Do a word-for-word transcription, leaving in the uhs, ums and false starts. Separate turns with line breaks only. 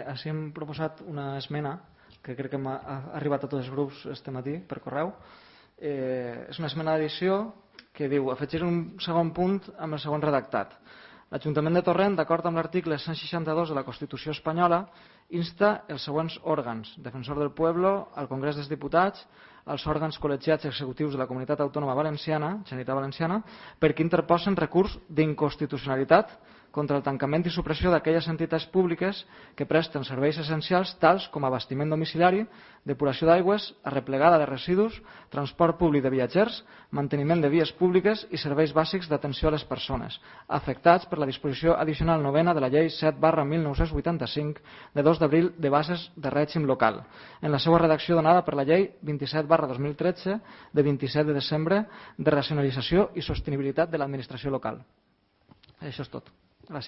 així hem proposat una esmena que crec que ha arribat a tots els grups este matí per correu. És una esmena d'addició que diu afegir un segon punt amb el següent redactat. L'Ajuntament de Torrent, d'acord amb l'article cent seixanta-dos de la Constitució espanyola, insta els següents òrgans: Defensor del Pueblo, al Congrés dels Diputats, als òrgans col·legiats executius de la Comunitat Autònoma Valenciana, Generalitat Valenciana, perquè interposen recurs d'inconstitucionalitat contra el tancament i supressió d'aquelles entitats públiques que presten serveis essencials tals com abastiment domiciliari, depuració d'aigües, arreplegada de residus, transport públic de viatgers, manteniment de vies públiques i serveis bàsics d'atenció a les persones, afectats per la disposició addicional novena de la Llei set barra mil nou-cents vuitanta-cinc de dos d'abril de bases de règim local, en la seva redacció donada per la Llei vint-i-set barra dos mil tretze de vint-i-set de desembre de racionalització i sostenibilitat de l'administració local. Això és tot.